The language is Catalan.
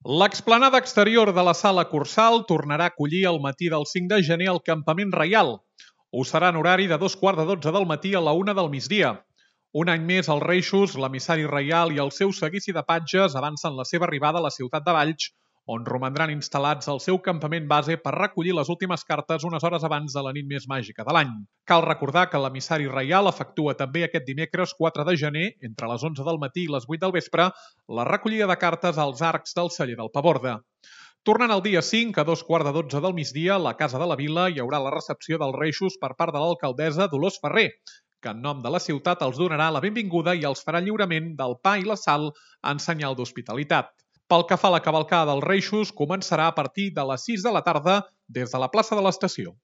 L'explanada exterior de la Sala Cursal tornarà a acollir el matí del 5 de gener el Campament Reial. Ho serà en horari de 2:15 del matí a la 1 del migdia. Un any més, els Reixos, l'emissari reial i el seu seguici de patges avancen la seva arribada a la ciutat de Valls, on romandran instal·lats al seu campament base per recollir les últimes cartes unes hores abans de la nit més màgica de l'any. Cal recordar que l'emissari reial efectua també aquest dimecres 4 de gener, entre les 11 del matí i les 8 del vespre, la recollida de cartes als arcs del celler del Paborde. Tornant al dia 5, a 2:15 del migdia, a la Casa de la Vila hi haurà la recepció dels Reixos per part de l'alcaldessa Dolors Ferrer, que en nom de la ciutat els donarà la benvinguda i els farà lliurament del pa i la sal en senyal d'hospitalitat. Pel que fa a la cavalcada dels Reixos, començarà a partir de les 6 de la tarda des de la plaça de l'Estació.